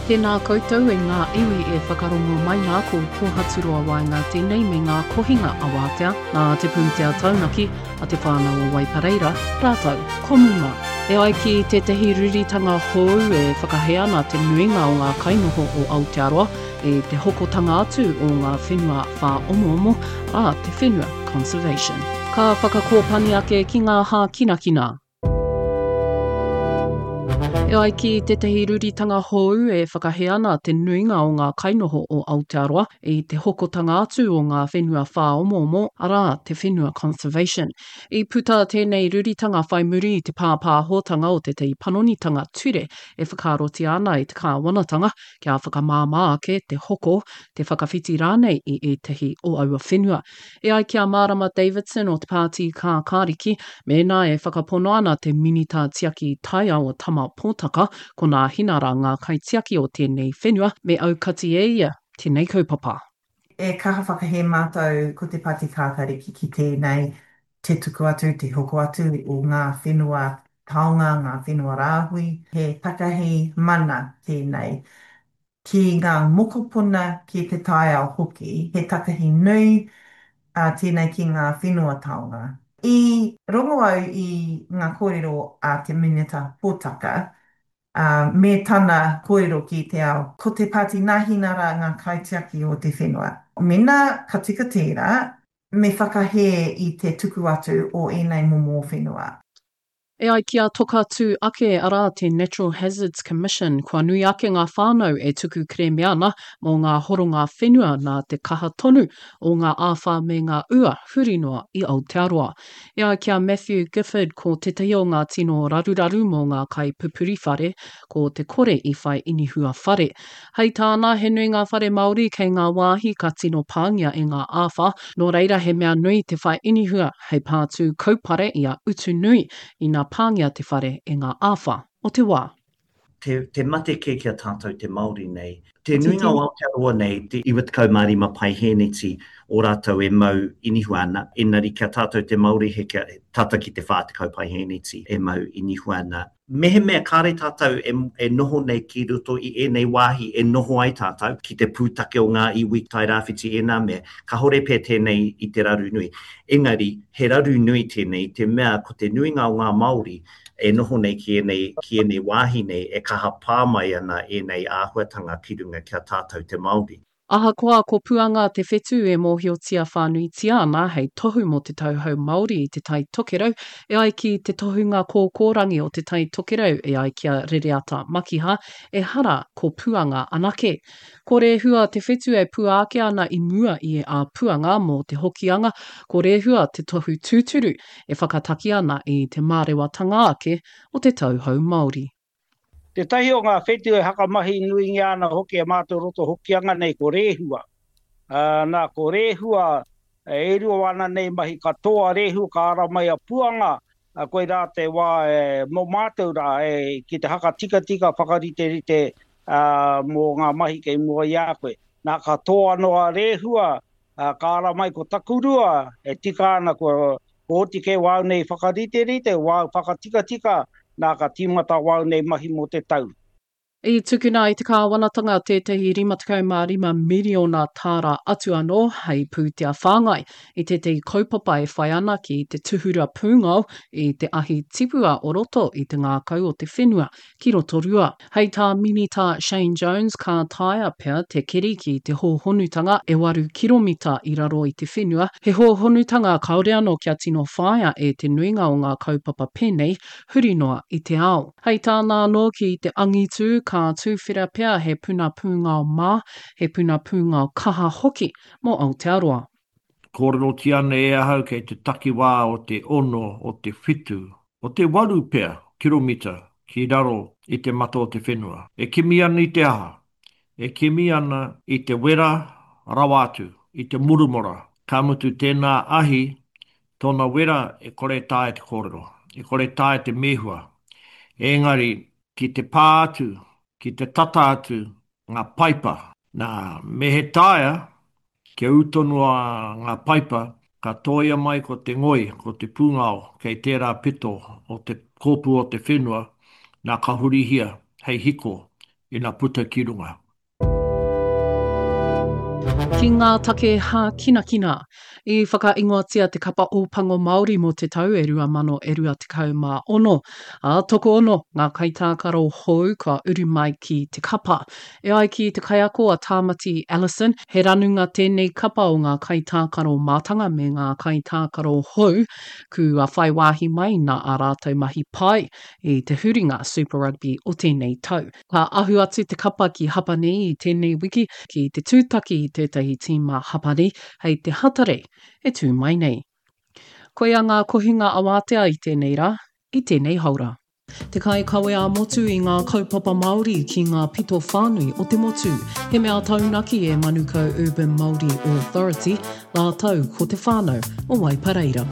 Tēnā koutou e ngā iwi e whakarongo mai nā ko Pōhaturoa Waenga tēnei me ngā kohinga awātea nā te pūtea taunaki a te whānau o Waipareira rātou ko Muma. E ai ki tētahi ruritanga hou e whakahē ana te nuinga o ngā kainoho o Aotearoa i te hokotanga atu o ngā whenua whāomoomo, arā, te whenua conservation. Ka whakakōpani ake ki ngā hākinakina. E ai ki tētahi ruritanga hou e whakahē ana te nuinga o ngā kainoho o Aotearoa i te hokotanga atu o ngā whenua whāomoomo, arā, te whenua conservation. I puta tēnei ruritanga whai muri i te pāpāhotanga o tētahi panonitanga ture e whakaarotia ana e te kāwanatanga kia whakamāmā ake te hoko, te whakawhiti rānei i ētahi o aua whenua. E ai ki a Mārama Davidson o te Pāti Kākāriki, mēnā e whakapono ana te Minita Tiaki Taiao a Tama Potaka, ko Nāhinara ngā kaitiaki o tēnei whenua, me aukati e ia tēnei kaupapa. E kaha whakahē mātou ko te Pāti Kākāriki ki tēnei te tuku atu, te hoko atu o ngā whenua taonga, ngā whenua rāhui. He takahi mana tēnei ki ngā mokopuna, ki te taiao hoki. He takahi nui tēnei ki ngā whenua taonga. I rongo au i ngā kōrero a te Minita Potaka, ā, me tana kōrero ki te ao, ko te Pāti Nāhinara ngā kaitiaki o te whenua. Mēnā ka tika tērā, Me whakahē i te tuku atu o ēnei momo whenua. E ai ki a Toka Tū Ake, arā, te Natural Hazards Commission, kua nui ake ngā whānau e tuku kerēme ana mō ngā horonga whenua nā te kaha tonu o ngā āwhā me ngā ua huri noa i Aotearoa. E ai ki a Matthew Gifford, ko tētahi o ngā tino raruraru mō ngā kaipupuri whare, ko te kore i whai inihua whare. Hei tāna, he nui ngā whare Māori kei ngā wāhi ka tino pāngia e ngā āwhā, nō reira he mea nui te whai inihua hei pātū kaupare i a utu nui ina pāngia te whare e ngā āwhā o te wā. Te, te mate kē ki a tātou te Māori nei. Te nuinga o Aotearoa nei, te 95 paihēneti o rātou e mau inihua ana, engari ki a tātou te Māori he kia, tata ki te 40 paihēneti e mau inihua ana. Mehemea kāre tātou e, e noho nei ki roto i ēnei wāhi e noho ai tātou, ki te pūtake o ngā iwi Tairāwhiti ēnā mea, kāore pea tēnei i te raru nui. Engari, he raru nui tēnei i te mea ko te nuinga o ngā Māori e noho nei ki ēnei, ki ēnei wāhi nei e kaha pā mai ana ēnei āhuatanga ki runga ki a tātou te Māori. Ahakoa ko Puanga te whetū e mōhiotia whānuitia ana hei tohu mō te tauhou Māori i Te Tai Tokerau, e ai ki te tohunga kōkōrangi o Te Tai Tokerau e ai ki a Rereata Makiha, ehara ko Puanga anake. Ko Rēhua te whetū e pua ake ana i mua i a Puanga mō te Hokianga, ko Rēhua te tohu tūturu e whakataki ana i te mārewatanga ake o te tauhou Māori. Tētahi o ngā whetū e hakamahi nuingia ana hoki e mātou roto Hokianga nei ko Rēhua. Ā, nā, ko Rēhua, e rua ana nei mahi katoa Rēhua ka ara mai a Puanga, ā, koirā te wā e, mō mātou rā, e, ki te hakatikatika, whakariterite, ā, mō ngā mahi kei mua i a koe. Nā, ka tō anō a Rēhua, ā, ka ara mai ko Takurua, e tika ana kua, Kua oti kē wāu nei whakariterite, wāu whakatikatika, nā ka tīmata wāu nei mahi mō te tau. I tukuna e te kāwanatanga tētahi 55 miriona tāra atu anō hei pūtea whāngai i tētahi kaupapa e whai ana ki te tuhura pūngao i te ahi tipua o roto i te ngākau o te whenua ki Rotorua. Hei tā Minita Shane Jones ka taea pea te keri ki te hōhonutanga e waru kiromita i raro i te whenua, he hōhonutanga kāore anō kia tino whāia e te nuinga o ngā kaupapa pēnei huri noa i te ao. Hei tāna anō ki te angitū ka tūwhera pea he puna pūngao mā, he puna pūngao kaha hoki mō Aotearoa. Kōrerotia ana e ahau kei te takiwā o te ono, o te whitu, o te waru pea kiromita ki raro i te mata o te whenua. E kimi ana i te aha? E kimi ana i te wera rawa atu, i te murumora. Ka mutu tēnā ahi, tōna wera e kore taea te kōrero, e kore taea te mēhua. Engari, ki te pā atu, ki te tata atu ngā paipa. Nā, me he taea, kia ū tonu a ngā paipa, ka tōia mai ko te ngoi, ko te pūngao kei tērā pito o te kōpū o te whenua, nā ka hurihia hei hiko. ina puta ki runga. Ki ngā take hākinakina. I whakaingoatia te kapa Ōpango Māori mō te tau e 2026, ā, tokoono ngā kaitākaro hou kua uru mai ki te kapa. E ai ki te kaiako a Tāmati Ellison, he ranunga tēnei kapa o ngā kaitākaro mātanga me ngā kaitākaro hou kua whai wāhi mai nā ā rātou mahi pai i te huringa Super Rugby o tēnei tau. Ka ahu atu te kapa ki Hapani i tēnei wiki ki te tūtaki i tētahi tīma Hapani hei te Hatarei e tū mai nei. Koia ngā kohinga awātea i tēnei rā, i tēnei haora. Te kaikawe ā-motu i ngā kaupapa Māori ki ngā pito whānui o te motu. He mea taunaki e Manukau Urban Māori Authority rātou ko te whānau o Waipareira.